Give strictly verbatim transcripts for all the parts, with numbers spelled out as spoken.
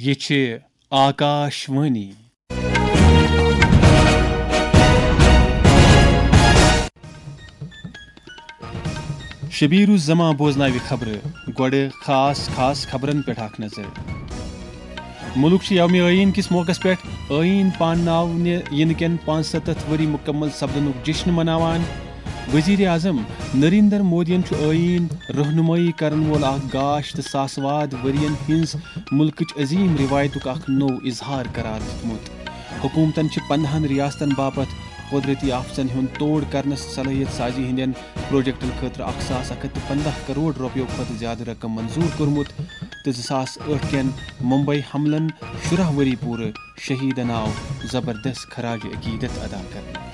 یہِ چھِ آکاش وانی۔ شبیر الزمان بوزناوِ خبرٕ۔ گۄڈٕ خاص خاص خبرن پٮ۪ٹھ اکھ نظر۔ مُلک چھُ یومِ ٲیٖن کِس موقعس پٮ۪ٹھ ٲیٖن پانناونہٕ یِنہٕ کٮ۪ن پانٛژستتھ ؤری مُکمل سپدنُک جشن مناوان۔ وزیر اعظم نریندر مودیَن چھُ ٲیٖن رہنمٲیی کرن وول اکھ گاش تہٕ ساسہٕ واد ؤرین ہٕنٛز مُلکٕچ عظیٖم رِوایتُک اکھ نوٚو اظہار قرار دیُتمُت۔ حکوٗمتَن چھِ پنٛداہن ریاستن باپتھ قۄدرٔتی آفژن ہُنٛد توڑ کرنس صلٲحیت سازی ہٕنٛدٮ۪ن پروجیکٹن خٲطرٕ اکھ ساس اکھ ہتھ تہٕ پنٛداہ کرور رۄپیو کھۄتہٕ زیادٕ رقم منظوٗر کوٚرمُت تہٕ زٕ ساس ٲٹھ کٮ۪ن ممبئی حملن شُراہ ؤری پوٗرٕ شہیدن آو زبردست خراج عقیدت ادا کرنہٕ۔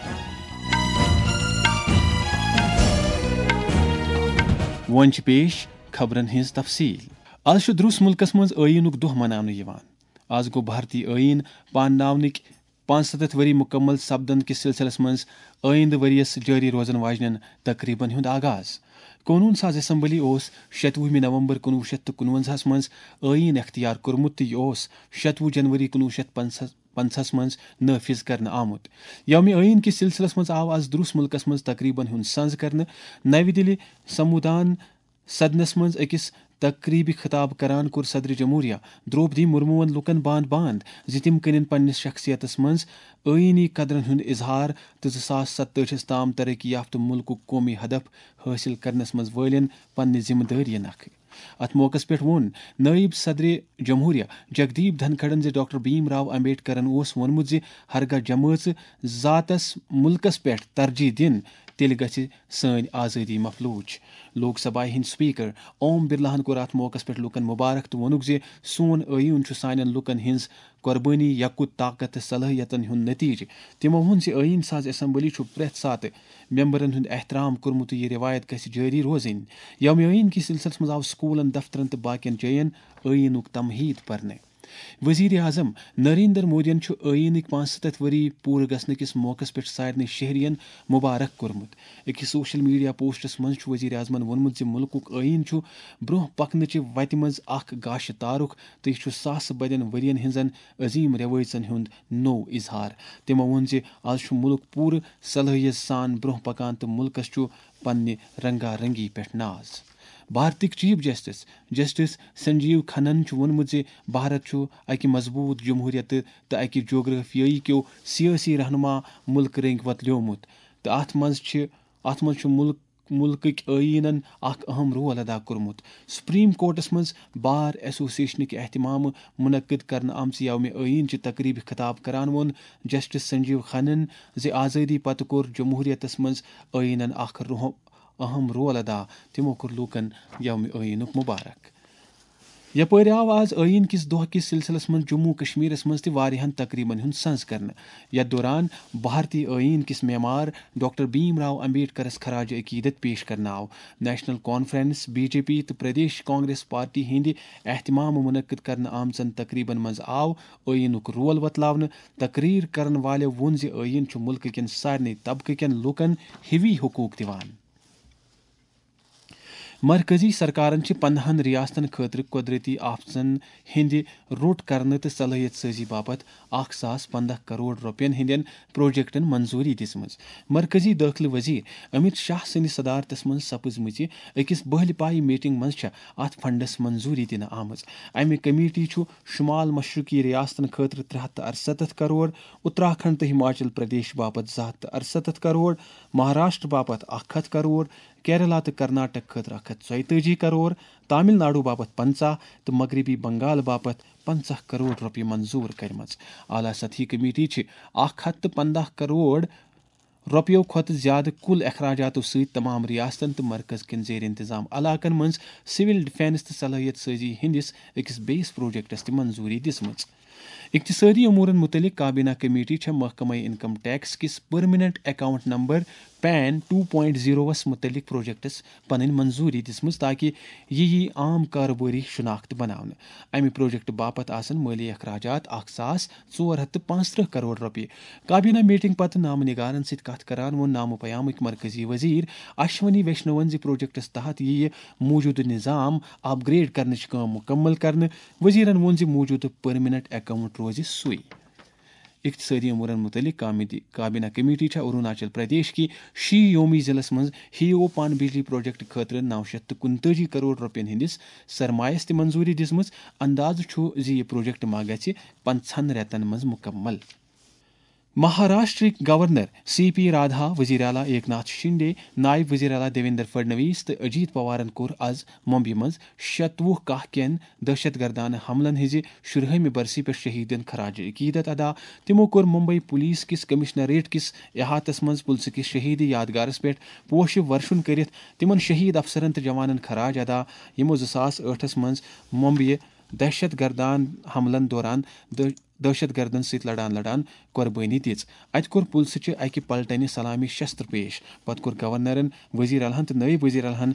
وۄنۍ چھِ پیش خبرن ہٕنٛز تفصیل۔ از چھُ درُس مُلکس منٛز ٲیٖنُک دۄہ مناونہٕ یِوان۔ از گوٚو بھارتی ٲیٖن پانناونٕکۍ پانٛژستتھ ؤری مُکمل سپدن کِس سلسلس منٛز آیندٕ ؤرۍ یَس جٲری روزن واجنٮ۪ن تقریبن ہُنٛد آغاز۔ قونوٗن ساز اسمبلی اوس شتوُہمہِ نومبر کُنوُہ شیٚتھ تہٕ کُنوَنزاہَس منٛز ٲیٖن اختیار کوٚرمُت تہٕ یہِ اوس شتوُہ جنوری کُنوُہ شیٚتھ پنٛژاہ پنٛژاہَس منٛز نٲفذ کرنہٕ آمُت۔ یومِ ٲیٖن کِس سلسلس منٛز آو از درُس مُلکس منٛز تقریبن ہُنٛد سنز کرنہٕ۔ نوِ دِلہِ سمودان سدنس منٛز أکِس تقریبہِ خطاب کران کوٚر صدر جمہوریہ درٛوپدی مُرموٗہن لوٗکن باند باند زِ تِم کٔرِن پننِس شخصیتس منٛز ٲیٖنی قدرن ہُنٛد اظہار تہٕ زٕ ساس ستٲجِہس تام ترقی یافتہٕ مُلکُک قومی ہدف حٲصِل کرنس منٛز وٲلِن پننہِ ذمہٕ دٲری نکھٕ۔ اتھ موقعس پٮ۪ٹھ ووٚن نٲیِب صدرِ جمہوریہ جگدیپ دھنکھڑن زِ ڈاکٹر بھیم راو امبیڈکرن اوس ووٚنمُت زِ ہرگاہ جمٲژ ذاتس مُلکس پٮ۪ٹھ ترجیح دِن، تیٚلہِ گژھِ سٲنۍ آزٲدی مفلوٗج۔ لوک سبھایہ ہٕنٛدۍ سپیکر اوم برلاہن کوٚر اتھ موقعس پٮ۪ٹھ لوٗکن مبارک تہٕ ووٚنُکھ زِ سون ٲیٖن چھُ سانٮ۪ن لوٗکن ہٕنٛز قۄربٲنی، یقُت، طاقت تہٕ صلٲحیتن ہُنٛد نتیجہٕ۔ تِمو ووٚن زِ ٲیٖن ساز اسمبلی چھُ پرٛٮ۪تھ ساتہٕ ممبرن ہُنٛد احترام کوٚرمُت تہٕ یہِ رِوایت گژھِ جٲری روزٕنۍ۔ یومِ ٲیٖن کِس سلسلس منٛز آو سکوٗلن، دفترن تہٕ باقین جاین ٲیٖنُک تمہیٖد پرنہٕ۔ وزیر اعظم نریندر مودیَن چھُ ٲیٖنٕکۍ پانٛژستتھ ؤری پوٗرٕ گژھنہٕ کِس موقعس پٮ۪ٹھ سارنٕے شہرین مبارک کوٚرمُت۔ أکِس سوشل میڈیا پوسٹس منٛز چھُ وزیر اعظمَن ووٚنمُت زِ مُلکُک ٲیٖن چھُ برٛونٛہہ پکنٕچہِ وتہِ منٛز اکھ گاشہِ تارُک تہٕ یہِ چھُ ساسہٕ بدٮ۪ن ؤرین ہٕنٛزن عظیٖم رٮ۪وٲیژن ہُنٛد نوٚو اظہار۔ تِمو ووٚن زِ از چھُ مُلک پوٗرٕ صلٲحیت سان برٛونٛہہ پکان تہٕ مُلکس چھُ پننہِ رنگا رنگی پٮ۪ٹھ ناز۔ بھارتٕکۍ چیف جسٹس، جسٹس سنجیو کھنن چھُ ووٚنمُت زِ بھارت چھُ اکہِ مضبوٗط جمہوٗرِیتہٕ تہٕ اکہِ جغرافیٲیی کیو سیٲسی رہنما مُلکہٕ رٔنگۍ وۄتلیومُت تہٕ اتھ منٛز چھِ، اتھ منٛز چھُ مُلک، مُلکٕکۍ ٲییٖنن اکھ اہم رول ادا کوٚرمُت۔ سپریم کورٹس منٛز بار ایسوسیشنٕکۍ اہتمامہٕ منعقد کرنہٕ آمژِ یومِ ٲییٖن چہِ تقریبہِ خطاب کران ووٚن جسٹس سنجیو کھنن زِ آزٲدی پتہٕ کوٚر جمہوٗرِیتس منٛز ٲییٖنن اکھ رُح-، اہم رول ادا۔ تِمو کوٚر لوٗکن یومِ ٲییٖنُک مبارک۔ یپٲرۍ آو آز ٲییٖن کِس دۄہ کِس سلسلس منٛز جموں کشمیرس منٛز تہِ واریاہن تقریبن ہُنٛد سنز کرنہٕ۔ یتھ دوران بھارتی ٲییٖن کِس معمار ڈاکٹر بھیم راو امبیڈکرس خراج عقیدت پیش کرنہٕ آو۔ National Conference, B J P تہٕ پردیش کانگریس پارٹی ہٕنٛدِ اہتمامہٕ منعقد کرنہٕ آمژن تقریبن منٛز آو ٲییٖنُک رول وۄتلاونہٕ۔ تقریر کرن والٮ۪و ووٚن زِ ٲییٖن چھُ مُلکہٕ کٮ۪ن سارنٕے طبقہٕ کٮ۪ن لوٗکن ہِوی حقوٗق دِوان۔ مرکزی سرکارن چھِ پندہن ریاستن خٲطرٕ قۄدرٔتی آفژن ہٕنٛدِ روٚٹ کرنہٕ تہٕ صلٲحیت سٲزی باپتھ اکھ ساس پنداہ کرور رۄپین ہٕنٛدٮ۪ن پروجیکٹن منظوٗری دِژمٕژ۔ مرکزی دٲخلہٕ وزیر امیت شاہ سٕنٛدِ صدارتس منٛز سپٕزمٕژِ أکِس بٔہلہِ پایہِ میٹنگ منٛز چھےٚ اتھ فنڈس منظوٗری دِنہٕ آمٕژ۔ امہِ کمیٹی چھُ شمال مشرقی ریاستن خٲطرٕ ترٛےٚ ہتھ تہٕ ارستتھ کرور، اتراکھنڈ تہٕ ہماچل پردیش باپتھ زٕ ہتھ تہٕ ارستتھ کرور، مہاراشٹر باپتھ اکھ ہتھ کرور، کیرلا تہٕ کرناٹک خٲطرٕ اکھ ہتھ ژۄیتٲجی کرور، تامل ناڈو باپتھ پنژاہ تہٕ مغربی بنگال باپتھ پنژاہ کرور رۄپیہِ منظوٗر کٔرمٕژ۔ اعلیٰ سطحی کمیٹی چھِ اکھ ہتھ تہٕ پنٛداہ کرور رۄپیو کھۄتہٕ زیادٕ کُل اخراجاتو سۭتۍ تمام ریاستن تہٕ مرکز کٮ۪ن زیر انتظام علاقن منٛز سول ڈیفنس تہٕ صلٲحیت سٲزی ہٕنٛدِس أکِس بیٚیِس پروجیکٹس تہِ منظوٗری دِژمٕژ۔ اقتصٲدی امورن مُتعلق کابینہ کمیٹی چھےٚ محکمہ انکم ٹیکس کِس permanent account number PAN two point زیروَس مُتعلق پروجیکٹس پنٕنۍ منظوٗری دِژمٕژ تاکہِ یہِ یِیہِ عام کارٕبٲری شناخت بناونہٕ۔ امہِ پروجیکٹ باپتھ آسن مٲلی اخراجات اکھ ساس ژور ہتھ تہٕ پانٛژترٕٛہ کرور رۄپیہِ۔ کابینہ میٹنگ پتہٕ نامہ نگارن سۭتۍ کتھ کران ووٚن نامہٕ پیامٕکۍ مرکزی وزیر اشونی ویشنوَن زِ پروجیکٹس تحت یِیہِ موجودٕ نظام اپ گریڈ کرنٕچ کٲم مکمل کرنہٕ۔ وزیرن ووٚن زِ موجودٕ پرمیننٹ اکاؤنٹ روزِ سُے۔ اقتصٲدی امورن متعلق کامدی-، کابینہ کمیٹی چھےٚ اروناچل پردیش کہِ شی یومی ضلعس منٛز ہیو پان بجلی پروجیکٹ خٲطرٕ نو شیٚتھ تہٕ کُنتٲجی کرور رۄپین ہٕنٛدِس سرمایس تہِ منظوٗری دِژمٕژ۔ اندازٕ چھُ زِ یہِ پروجیکٹ ما گژھِ پنٛژاہن رٮ۪تن منٛز مکمل۔ مہاراشٹرٕکۍ گورنر سی پی رادھا، وزیر اعلیٰ ایک ناتھ شنڈے، نائب وزیر اعلیٰ دیویندر فڈنویس تہٕ اجیت پوارن کوٚر از ممبیہِ منٛز شتوُہ کاہ کٮ۪ن دہشت گردانہ حملن ہٕنٛزِ شُرہٲمہِ برسی پٮ۪ٹھ شہیدن خراج عقیدت ادا۔ تِمو کوٚر ممبئی پولیس کِس کمشنریٹ کِس احاطس منٛز پُلسہٕ کِس شہیدی یادگارس پٮ۪ٹھ پوشہٕ ورشُن کٔرِتھ تِمن شہید افسرن تہٕ جوانن خراج ادا، یِمو زٕ ساس ٲٹھس منٛز ممبیہِ دہشت گردان حملن دوران دہ-، دہشت گردن سۭتۍ لڑان لڑان قربٲنی دِژ۔ اتہِ کوٚر پُلسہٕ چہِ اکہِ پلٹنہِ سلامی شستر پیش۔ پتہٕ کوٚر گورنرن، وزیر اعلیٰ ہن تہٕ نٲیِب وزیر اعلیٰ ہن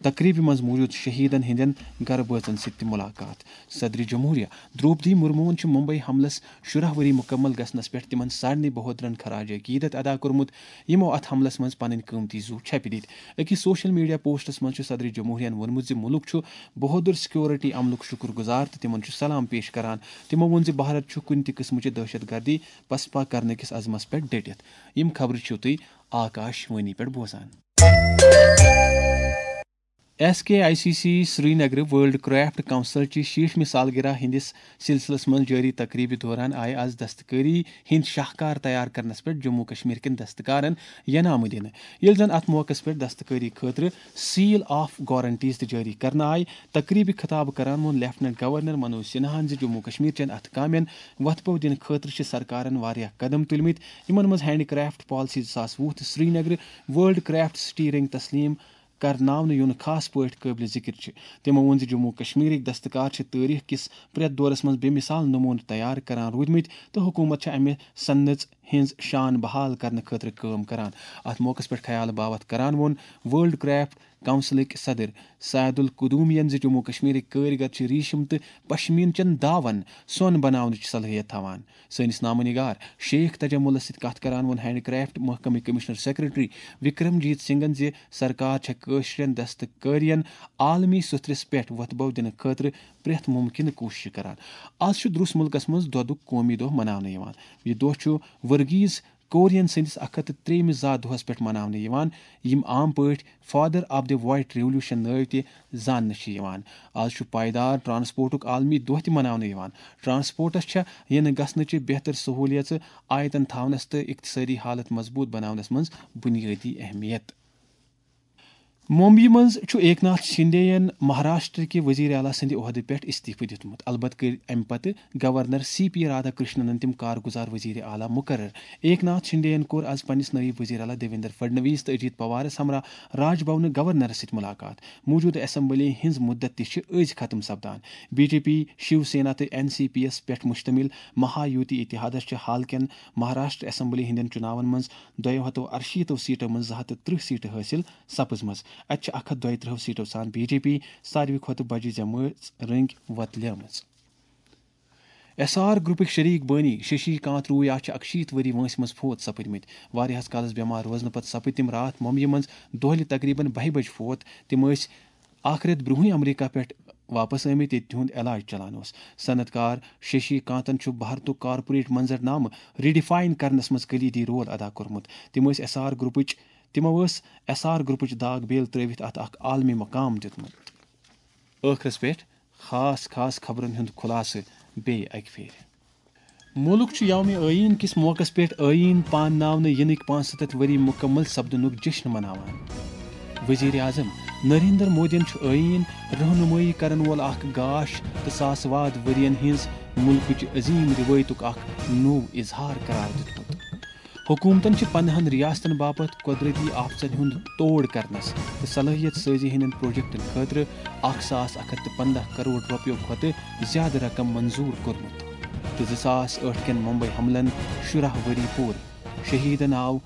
تقریبہِ منٛز موجود شہیدن ہٕنٛدٮ۪ن گرٕ بٲژن سۭتۍ تہِ ملاقات۔ صدر جمہوریہ دروپدی مرموہن چھُ ممبئی حملس شُراہ ؤری مکمل گژھنس پٮ۪ٹھ تِمن سارنٕے بہودرن خراج عقیدت ادا کوٚرمُت، یِمو اتھ حملس منٛز پنٕنۍ قۭمتی زُو چھپہِ دِتۍ۔ أکِس سوشل میڈیا پوسٹس منٛز چھُ صدر جمہوریہن ووٚنمُت زِ مُلک چھُ بہودر سیکورٹی عملُک شُکر گُزار تہٕ تِمن چھُ سلام پیش کران۔ تِمو ووٚن زِ بھارت چھُ کُنہِ تہِ قٕسمٕچہِ دہشت گردی پسپا کرنہٕ کِس عزمس پٮ۪ٹھ ڈٔٹِتھ۔ یِم خبرٕ چھِو تُہۍ آکاش وانی پٮ۪ٹھ بوزان۔ S K I C C Srinagar world craft council چہِ شیٹھمہِ سالگرہ ہٕنٛدِس سلسلس منٛز جٲری تقریبہِ دوران آیہِ از دستکٲری ہٕنٛدۍ شاہکار تیار کرنس پٮ۪ٹھ جموں کشمیر کٮ۪ن دستکارن ینامہٕ دِنہٕ، ییٚلہِ زن اتھ موقعس پٮ۪ٹھ دستکٲری خٲطرٕ سیل آف گارنٹیز تہِ جٲری کرنہٕ آیہِ۔ تقریبہِ خطاب کران ووٚن لیفٹیننٹ گورنر منوج سنہاہن زِ جموں کشمیر چٮ۪ن اتھٕ کامٮ۪ن وۄتھٕ بو دِنہٕ خٲطرٕ چھِ سرکارن واریاہ قدم تُلمٕتۍ، یِمن منٛز ہینڈ کرافٹ پالیسی زٕ ساس وُہ تہٕ سرینگرٕ ورلڈ کرافٹ سٹی رنگ تسلیم کرناونہٕ یُن خاص پٲٹھۍ قٲبلِ ذِکر چھِ۔ تِمو ووٚن زِ جموں کشمیرٕکۍ دستکار چھِ تٲریخ کِس پرٛٮ۪تھ دورس منٛز بے مثال نموٗنہٕ تیار کران روٗدمٕتۍ تہٕ حکوٗمت چھِ امہِ صنعژ ہٕنٛز شان بحال کرنہٕ خٲطرٕ کٲم کران۔ اتھ موقعس پٮ۪ٹھ خیال باوتھ کران ووٚن ورلڈ کرافٹ کونسلٕکۍ صدر سید القدومین زِ جموں کشمیرٕکۍ کٲرۍ گر چھِ ریشم تہٕ پشمیٖن چٮ۪ن داون سۄن بناونٕچ صلٲحیت تھاوان۔ سٲنِس نامہ نگار شیخ تجملس سۭتۍ کتھ کران ووٚن ہینڈ کرافٹ محکمٕکۍ کمشنر سیکرٹری وکرم جیت سنگھن زِ سرکار چھےٚ کٲشرٮ۪ن دستکٲرین عالمی سطرس پٮ۪ٹھ وۄتھٕ بو دِنہٕ خٲطرٕ پرٛٮ۪تھ مُمکِنہٕ کوٗشش کران۔ از چھُ درُس مُلکس منٛز دۄدُک قومی دۄہ مناونہٕ یِوان۔ یہِ دۄہ چھُ ورگیز کورین سٕنٛدِس اکھ ہتھ تہٕ ترٛیٚیِمِس زا دۄہس پٮ۪ٹھ مناونہٕ یِوان، یِم عام پٲٹھۍ father of the white revolution نٲوۍ تہِ زاننہٕ چھِ یِوان۔ از چھُ پائیدار ٹرانسپورٹُک عالمی دۄہ تہِ مناونہٕ یِوان۔ ٹرانسپورٹس چھےٚ یِنہٕ گژھنٕچہِ بہتر سہولیژٕ آیتن تھاونس تہٕ اقتصٲدی حالت مضبوط بناونس منٛز بنیٲدی اہمیت۔ ممبیہِ منٛز چھُ ایک ناتھ شنڈے ین مہاراشٹر کہِ وزیر اعلیٰ سٕنٛدِ عہدٕ پٮ۪ٹھ استعفہٕ دیُتمُت۔ البتہٕ کٔرۍ امہِ پتہٕ گورنر سی پی رادھا کرشننن تِم کارگزار وزیر اعلیٰ مقرر۔ ایک ناتھ شنڈے ین کوٚر از پننِس نٲیِب وزیر اعلیٰ دیویندر فڈنویس تہٕ اجیت پوارس ہمراہ راج بھونہٕ گورنرس سۭتۍ ملاقات۔ موجودٕ اسمبلی ہٕنٛز مدت تہِ چھِ أزۍ ختم سپدان۔ B J P, Shiv Sena تہٕ این سی پی یس پٮ۪ٹھ مشتمل مہا یوتی اتحادس چھِ حال کٮ۪ن مہاراشٹر اسمبلی ہٕنٛدٮ۪ن چُناون منٛز دۄیو ہتو ارشیٖتو سیٹو منٛز زٕ ہتھ تہٕ ترٕٛہ سیٹہٕ حٲصِل سپٕزمٕژ۔ اتہِ چھِ اکھ ہتھ دۄیہِ ترٕٛہ سیٹو سان بی جے پی ساروی کھۄتہٕ بجہِ جمٲژ رٔنٛگۍ وۄتلیمٕژ۔ ایس آر گروپٕکۍ شریک بٲنی ششی کانت رویا چھِ اکشیٖتھ ؤری وٲنٛسہِ منٛز فوت سپٕدمٕتۍ۔ واریاہس کالس بٮ۪مار روزنہٕ پتہٕ سپٕدۍ تِم راتھ ممبیہِ منٛز دۄہلہِ تقریباً بَہہِ بجہِ فوت۔ تِم ٲسۍ اکھ رٮ۪تھ برونٛہٕے امریکہ پٮ۪ٹھ واپس آمٕتۍ، ییٚتہِ تِہُنٛد علاج چلان اوس۔ صنعت کار ششی کانتن چھُ بھارتُک کارپوریٹ منظر نامہٕ ریڈیفائن کرنس منٛز کلیدی رول ادا کوٚرمُت۔ تِم ٲسۍ ایس آر گروپٕچ، تِمو ٲس ایس آر گروپٕچ داغ بیل ترٲوِتھ اتھ اکھ عالمی مقام دیُتمُت۔ ٲخرس پٮ۪ٹھ خاص خاص خبرن ہُنٛد خلاصہٕ بیٚیہِ اکہِ پھِرِ۔ مُلک چھُ یومِ آئین کِس موقعس پٮ۪ٹھ آئین پانناونہٕ یِنٕکۍ پانٛژھ سَتَتھ ؤری مُکمل سپدنُک جشن مناوان۔ وزیر اعظم نریندر مودیَن چھُ آئین رہنمٲیی کرن وول اکھ گاش تہٕ ساس واد ؤرین ہٕنٛز مُلکٕچ عظیم رِوایتُک اکھ نوٚو اظہار قرار دیُتمُت۔ حکومتن چھِ پنہن ریاستن باپتھ قدرتی آفژن ہُنٛد توڑ کرنس تہٕ صلٲحیت سٲزی ہٕنٛدٮ۪ن پروجیکٹن خٲطرٕ اکھ ساس اکھ ہتھ تہٕ پنٛداہ کرور رۄپیو کھۄتہٕ زیادٕ رقم منظور کوٚرمُت تہٕ زٕ ساس ٲٹھ کٮ۪ن ممبئی حملن شُراہ ؤری پوٗرٕ۔ شہیدن آو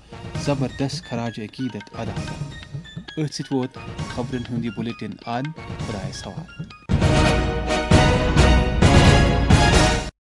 زبردست خراج عقیدت ادا کرنہٕ۔ أتھۍ سۭتۍ ووت خبرن ہُنٛد یہِ بلیٹن اند۔ خدایس حوالہٕ۔